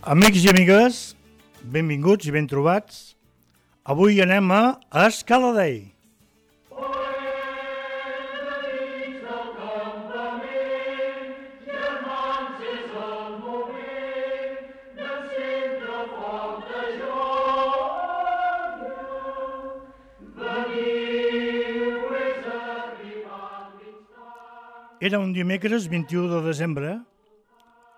Amics i amigues, benvinguts i ben trobats. Avui anem a Escaladei. Era un dimecres 21 de desembre,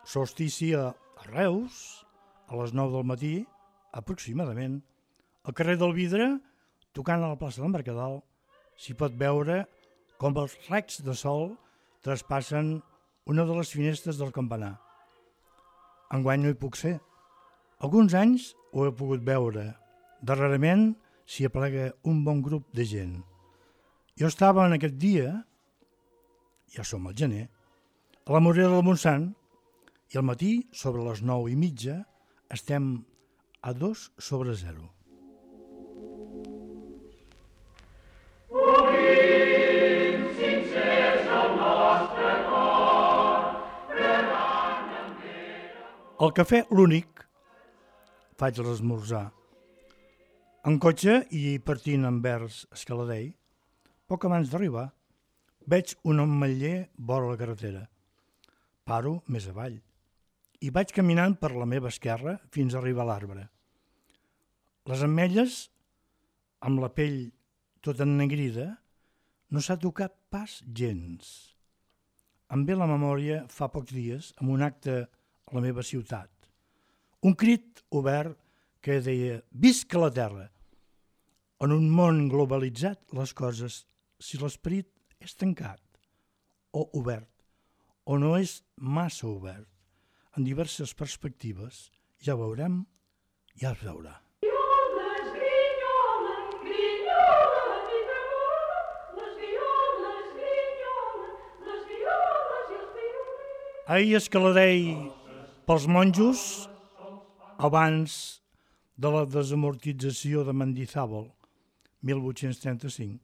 solstici a Reus, a les 9 del matí, aproximadament, al carrer del Vidre, tocant a la plaça del Mercadal, s'hi pot veure com els raigs de sol traspassen una de les finestres del campanar. Enguany no hi puc ser. Alguns anys ho he pogut veure. Darrerament s'hi aplega un bon grup de gent. Jo estava en aquest dia, ja som al gener, a la Morera del Montsant, i al matí, sobre les 9:30, estem a 2/0. Al cafè L'Únic faig l'esmorzar. En cotxe i partint envers Escaladei, poc abans d'arribar, veig un ametller vora la carretera. Paro més avall i vaig caminant per la meva esquerra fins a arribar a l'arbre. Les ametlles, amb la pell tota ennegrida, no s'ha tocat pas gens. Em ve la memòria fa pocs dies amb un acte a la meva ciutat. Un crit obert que deia «Visca la terra!». En un món globalitzat, les coses, si l'esperit és tancat o obert, o no és massa obert, en diverses perspectives, ja ho veurem, ja es veurà. Ahir Escaladei pels monjos, abans de la desamortització de Mendizábal, 1835.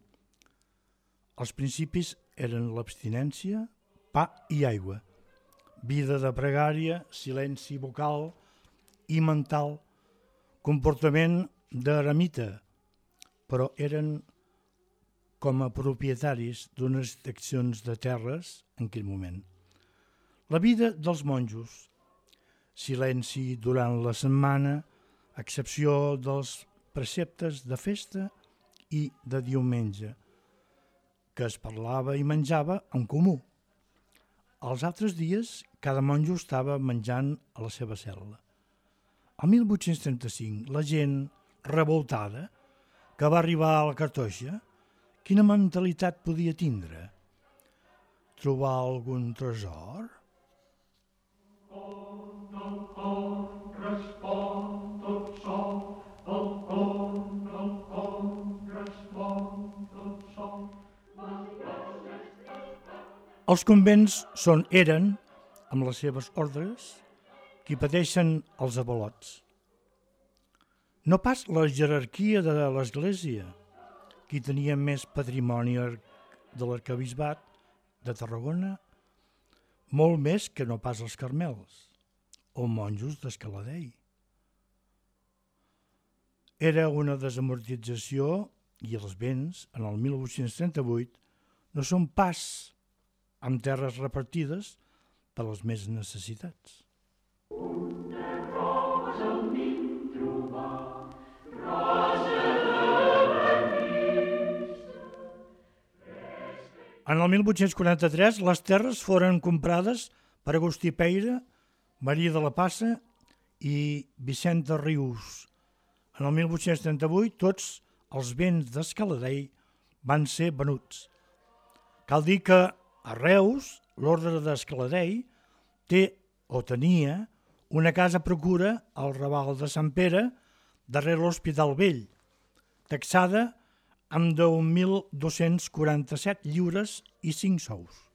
Els principis eren l'abstinència, pa i aigua, vida de pregària, silenci vocal i mental, comportament d'eremita, però eren com a propietaris d'unes seccions de terres en aquell moment. La vida dels monjos, silenci durant la setmana, a excepció dels preceptes de festa i de diumenge, que es parlava i menjava en comú. Els altres dies, cada monjo estava menjant a la seva cel·la. El 1835, la gent revoltada que va arribar a la Cartoixa, quina mentalitat podia tindre? Trobar algun tresor? Els convents eren, amb les seves ordres, qui pateixen els avalots. No pas la jerarquia de l'Església, qui tenia més patrimoni de l'arquebisbat de Tarragona, molt més que no pas els carmels o monjos d'Escaladei. Era una desamortització i els béns, en el 1838, no són pas amb terres repartides per les més necessitats. En el 1843 les terres foren comprades per Agustí Peira, Maria de la Passa i Vicenta Rius. En el 1838 tots els béns d'Escaladei van ser venuts. Cal dir que a Reus, l'ordre d'Escaladei tenia una casa procura al Raval de Sant Pere, darrere l'Hospital Vell, taxada amb 10.247 lliures i 5 sous.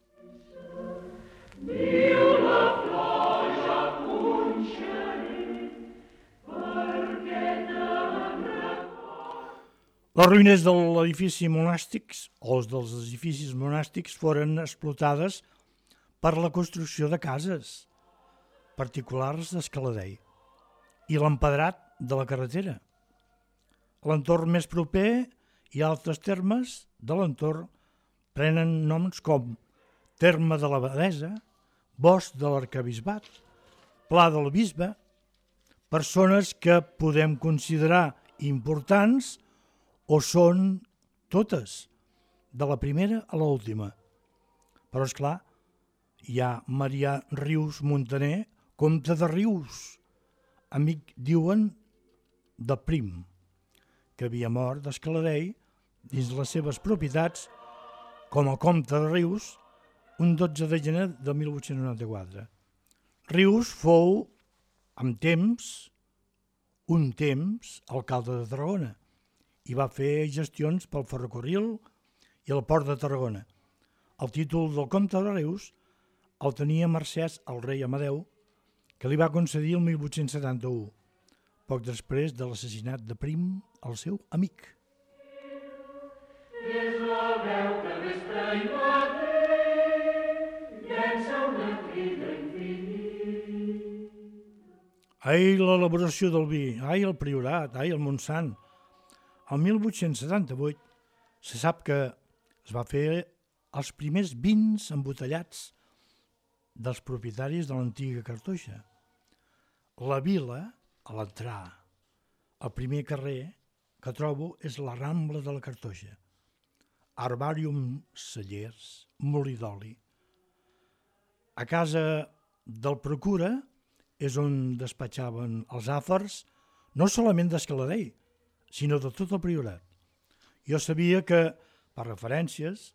Les ruïnes de l'edifici monàstics o dels edificis monàstics foren explotades per la construcció de cases particulars d'Escaladei. i l'empedrat de la carretera. A l'entorn més proper i altres termes de l'entorn prenen noms com Terme de l'Abadesa, Bosc de l'Arquebisbat, Pla del Bisbe, persones que podem considerar importants o són totes, de la primera a l'última. Però, esclar, hi ha Marià Rius Montaner, comte de Rius, amic, diuen, de Prim, que havia mort d'Escaladei dins les seves propietats com a comte de Rius un 12 de gener de 1894. Rius fou, amb un temps, alcalde de Tarragona i va fer gestions pel ferrocarril i el port de Tarragona. El títol del comte de Rius el tenia mercès al rei Amadeu, que li va concedir el 1871, poc després de l'assassinat de Prim, el seu amic. És la veu que vespre i matí llença una crida infinita. Ai, l'elaboració del vi, ai, el Priorat, ai, el Montsant. El 1878 se sap que es va fer els primers vins embotellats dels propietaris de l'antiga Cartoixa. La vila, a l'entrar, el primer carrer que trobo és la Rambla de la Cartoixa. Herbàrium, cellers, molí d'oli. A casa del procura és on despatxaven els àfars, no solament d'Escaladei, sinó de tot el Priorat. Jo sabia que, per referències,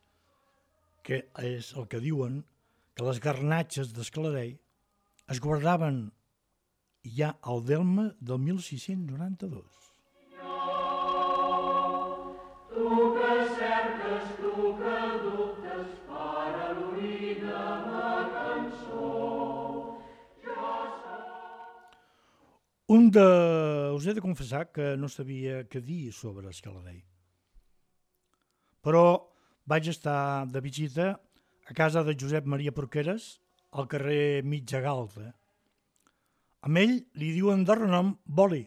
que és el que diuen, que les garnatxes d'Escaladei es guardaven ja al delme del 1692. Tu que cerques, tu que dubtes, per al·luir de la cançó. Us he de confessar que no sabia què dir sobre Escaladei. Però vaig estar de visita a casa de Josep Maria Porqueres, al carrer Mitja Galta. Amb ell li diuen de renom Boli.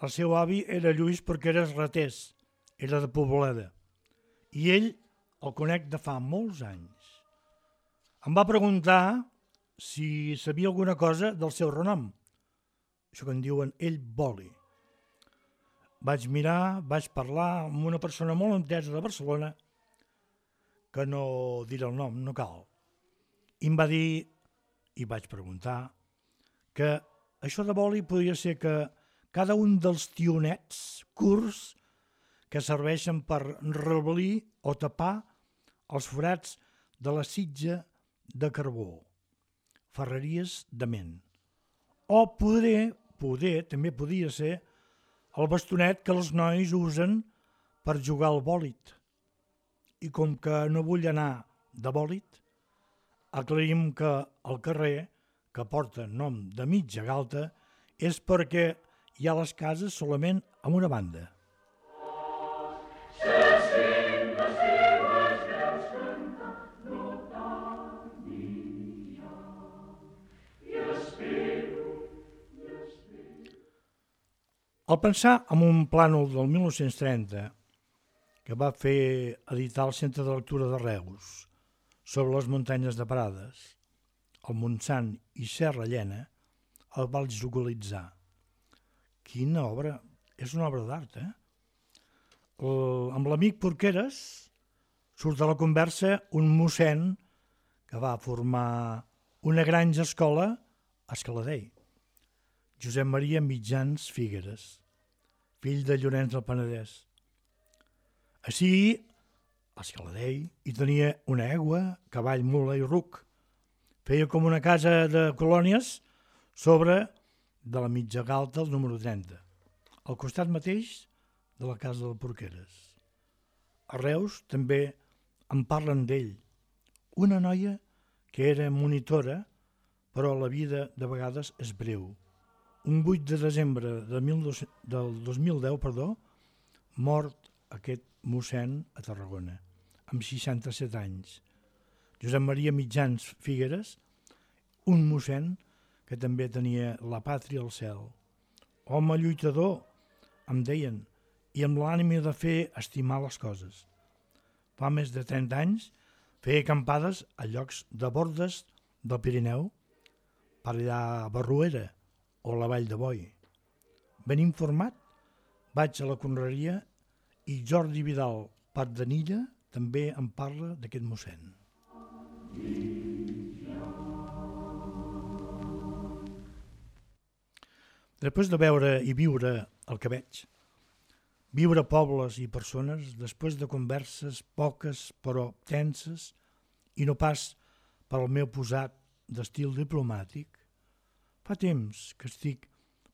El seu avi era Lluís Porqueres Ratés, era de Poboleda, i ell el conec de fa molts anys. Em va preguntar si sabia alguna cosa del seu renom, això que en diuen ell Boli. Vaig mirar, vaig parlar amb una persona molt entesa de Barcelona, que no diré el nom, no cal. I em va dir, i vaig preguntar, que això de boli podria ser que cada un dels tionets curts que serveixen per rebel·lir o tapar els forats de la sitja de carbó, ferreries de ment. O també podia ser el bastonet que els nois usen per jugar al bòlit. I com que no vull anar de bòlit, aclarim que el carrer, que porta nom de Mitja Galta, és perquè hi ha les cases solament amb una banda. Al pensar en un plànol del 1930 que va fer editar el Centre de Lectura de Reus sobre les muntanyes de Prades, el Montsant i Serra Llena, el vaig localitzar. Quina obra! És una obra d'art, Amb l'amic Porqueres surt a la conversa un mossèn que va formar una granja escola a Escaladei, Josep Maria Mitjans Figueres, fill de Llorenç del Penedès. Així, a Escaladei hi tenia una egua, cavall, mula i ruc. Feia com una casa de colònies sobre de la Mitja Galta, el número 30, al costat mateix de la casa del Porqueres. A Reus també en parlen d'ell. Una noia que era monitora, però la vida de vegades és breu. Un 8 de desembre del 2010, mort aquest mossèn a Tarragona, amb 67 anys. Josep Maria Mitjans Figueres, un mossèn que també tenia la pàtria al cel. Home lluitador, em deien, i amb l'ànima de fer estimar les coses. Fa més de 30 anys feia acampades a llocs de bordes del Pirineu, per allà a Barruera o la Vall de Boi. Ben informat, vaig a la conreria i Jordi Vidal Pardanilla també em parla d'aquest mossèn. Després de veure i viure el que veig, viure pobles i persones després de converses poques però tenses i no pas per al meu posat d'estil diplomàtic, fa temps que estic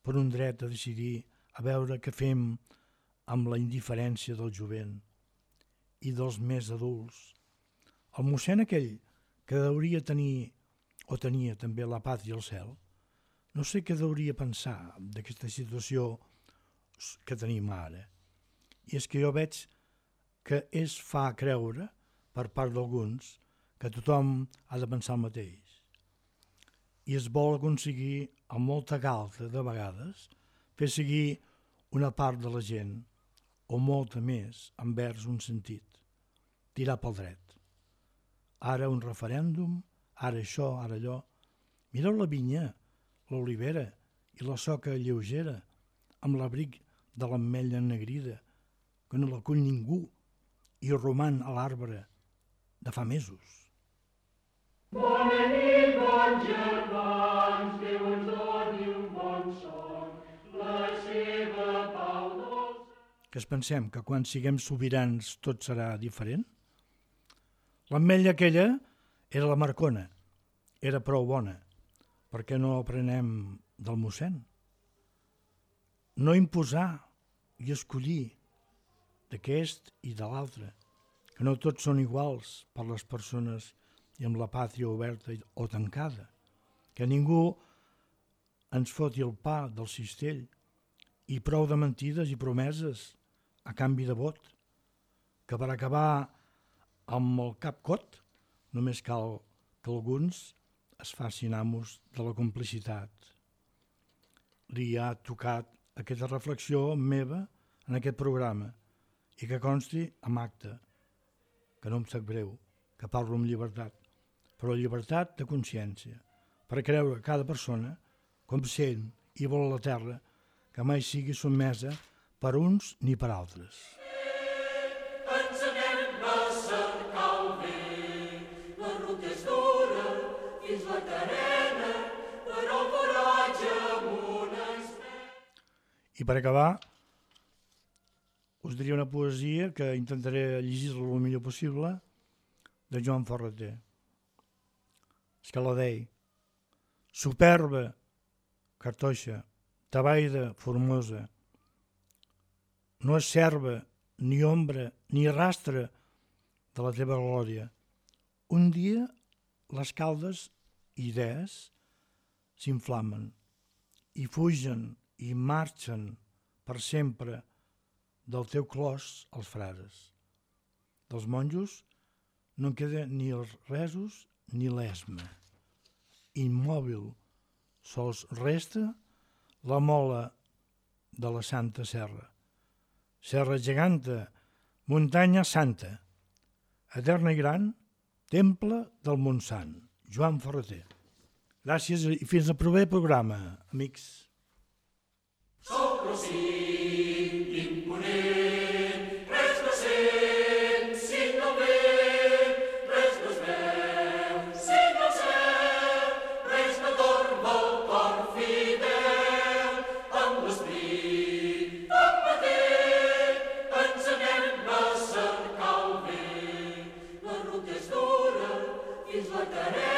per un dret a decidir a veure què fem amb la indiferència del jovent i dels més adults. El mossèn aquell que deuria tenir o tenia també la pàtria al cel, no sé què deuria pensar d'aquesta situació que tenim ara. I és que jo veig que es fa creure, per part d'alguns, que tothom ha de pensar el mateix. I es vol aconseguir, amb molta galta de vegades, fer seguir una part de la gent, o molta més, envers un sentit, tirar pel dret. Ara un referèndum, ara això, ara allò. Mireu la vinya, l'olivera i la soca lleugera, amb l'abric de l'ametlla ennegrida, que no la cull ningú i roman a l'arbre de fa mesos. Bona nit, bons germans, Déu ens doni un bon son, la seva pau dolça. Que es pensem que quan siguem sobirans tot serà diferent? L'ametlla aquella era la Marcona, era prou bona. Per què no aprenem del mossèn? No imposar i escollir d'aquest i de l'altre, que no tots són iguals per les persones i amb la pàtria oberta o tancada, que ningú ens foti el pa del cistell i prou de mentides i promeses a canvi de vot, que per acabar amb el cap cot només cal que alguns es facin amos de la complicitat. Li ha tocat aquesta reflexió meva en aquest programa i que consti amb acte, que no em sap greu, que parlo amb llibertat, però llibertat de consciència, per creure cada persona com sent i vol la terra que mai sigui sotmesa per uns ni per altres. Ens anem a cercar el bé, la ruta és dura fins la carena, però el coratge amunt ens ve. I per acabar, us diria una poesia que intentaré llegir-la el millor possible, de Joan Ferreter. És que la deia: superba, cartoixa, tabaida, formosa, no és serva, ni ombra, ni rastre de la teva glòria. Un dia les caldes idees s'inflamen i fugen i marxen per sempre del teu clos als frares. Dels monjos no en queda ni els resos ni l'esma. Immòbil sols resta la mola de la Santa Serra. Serra geganta, muntanya santa, eterna i gran, temple del Montsant. Joan Ferreter. Gràcies i fins al proper programa, amics. Sol Rossit, imponent, res no sent, signa el vent, res no es veu, signa el cel, res no dorm el cor fidel, amb l'esprit tanmateix, ens anem a cercar el bé, la ruta és dura fins la carena,